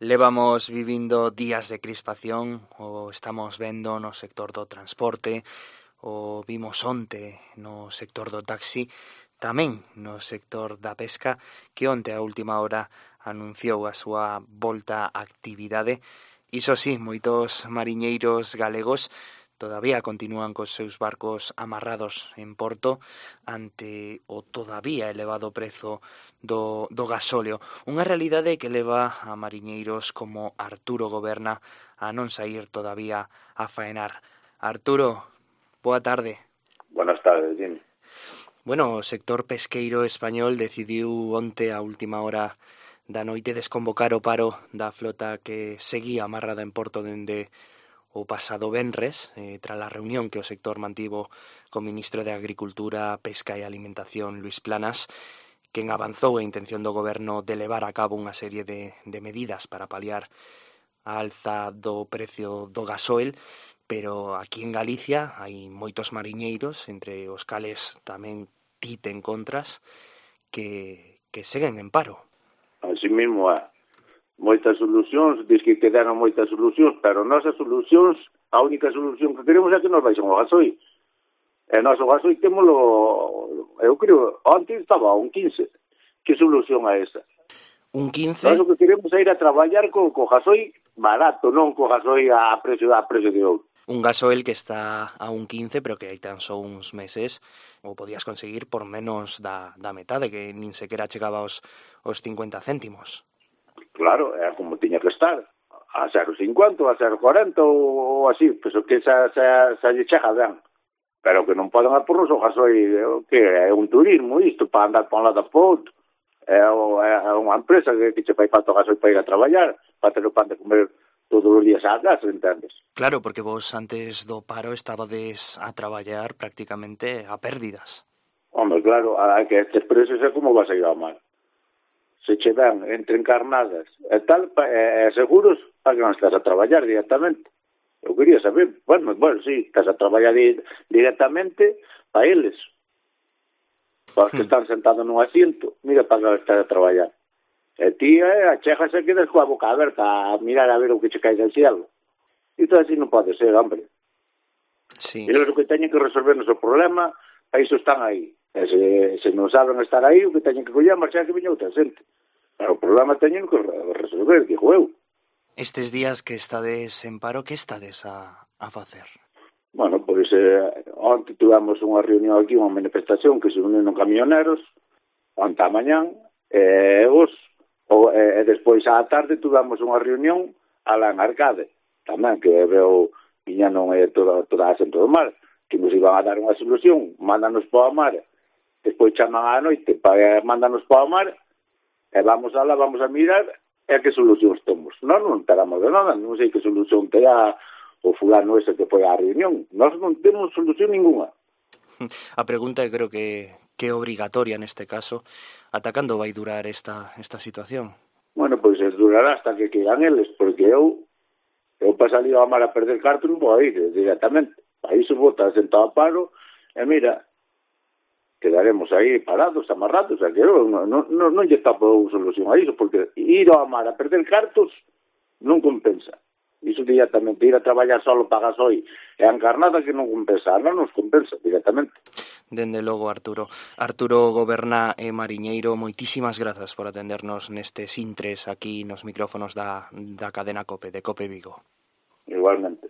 Levamos vivindo días de crispación, o estamos vendo no sector do transporte, o vimos onte no sector do taxi, tamén no sector da pesca, que onte a última hora anunciou a súa volta á actividade. Iso sí, moitos mariñeiros galegos todavía continúan cos seus barcos amarrados en porto ante o todavía elevado prezo do gasóleo. Unha realidade que leva a mariñeiros como Arturo Goberna a non saír todavía a faenar. Arturo, boa tarde. Buenas tardes, dime. Bueno, o sector pesqueiro español decidiu onte a última hora da noite desconvocar o paro da flota que seguía amarrada en porto dende o pasado venres, tras a reunión que o sector mantivo co ministro de Agricultura, Pesca e Alimentación, Luís Planas, quen avanzou a intención do goberno de levar a cabo unha serie de medidas para paliar a alza do precio do gasoil, pero aquí en Galicia hai moitos mariñeiros, entre os cales tamén ti te encontras, que seguen en paro. Así mesmo há moitas solucións, diz que quedaron moitas solucións, pero nosas solucións, a única solución que queremos é que nos baixen o gasoil. E nós o gasoil temoslo, eu creo, antes estaba a un 15. Que solución é esa? Un 15? Nós o que queremos é ir a traballar co gasoil barato, non co gasoil a precio de ouro. Un gasoil que está a un 15, pero que hai tan só uns meses o podías conseguir por menos da metade, que nin sequera chegaba aos 50 céntimos. Claro, é como tiña que estar, a 0,50, a 0,40 ou así, pois que xa lle chega ben. Pero que non poden a pornos o gasoil, que é un turismo isto, para andar para un lado para outro. É unha empresa que che fai falta o gasoil para ir a traballar, para ter o pan de comer todos os días á casa, entendes? Claro, porque vos antes do paro estabades a traballar prácticamente a pérdidas. Hombre, claro, que estes precios é como vas a ir ao mar. Se che dan entre encarnadas e tal, seguros, para que non estás a traballar directamente. Eu quería saber, bueno, sí, estás a traballar directamente para eles. Para os que están sentados nun asiento, mira para que estás a traballar. E ti, achegas e quedas coa boca aberta a mirar a ver o que che cae del cielo. Isto así non pode ser, hombre. Sí. E eles o que teñen que resolvernos o problema, a iso están aí. E se non saben estar aí, o que teñen que coller é marchar que veña outra xente. Pero o problema teñen que resolver, digo eu. Estes días que estades en paro, que estades a facer? Bueno, pois onte tivemos unha reunión aquí, unha manifestación que se uniron camioneros, onte a mañán, e despois á tarde tivemos unha reunión alá en Arcade, tamén, que veo viña non é toda a xente do mar, que nos iban a dar unha solución, mándanos para o mar, despois chaman á noite para mándanos para o mar, e vamos a mirar e que solucións temos. Nós non teramos de nada, non sei que solución terá o fulano ese que foi á reunión. Nós non temos solución ninguna. A pregunta creo que é obrigatoria neste caso. Ata cando vai durar esta situación? Bueno, pois durará hasta que queiran eles, porque eu para salir ao mar a perder cartos non vou ir directamente. Aí se bota sentado a paro e mira, quedaremos aí parados, amarrados, que non lle tapo solución a iso, porque ir ao mar a perder cartos non compensa. Iso directamente, ir a traballar solo para gasoil e a encarnada que non compensa, non nos compensa directamente. Dende logo, Arturo. Arturo Goberna e mariñeiro, moitísimas grazas por atendernos nestes intres aquí nos micrófonos da cadena COPE, de COPE Vigo. Igualmente.